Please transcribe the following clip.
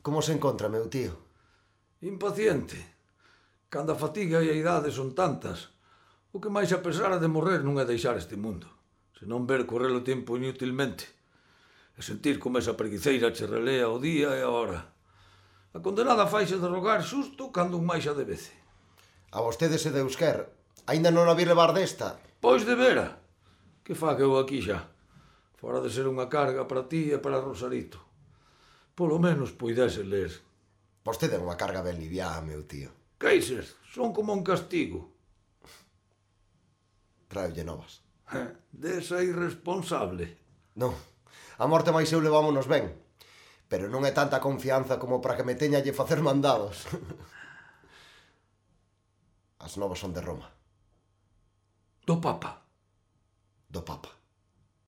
Como se encontra, meu tío? Impaciente. Cando a fatiga e a idade son tantas, o que máis a pesar de morrer non é deixar este mundo, senón ver correr o tempo inutilmente e sentir como esa preguiceira che relea o día e a hora. A condenada faixe de rogar xusto cando un máis a debece. A vostede se Deus quer. Aínda non a vi levar desta? Pois de vera. Que faga eu aquí xa? Fora de ser unha carga para ti e para Rosarito. Polo menos puidese ler. Vostede é unha carga ben liviá, meu tío. Queixes, son como un castigo. Traiolle novas. Desa irresponsable. Non, a morte máis eu levámonos ben. Pero non é tanta confianza como para que me teña lle facer mandados. As novas son de Roma. Do Papa. Do Papa.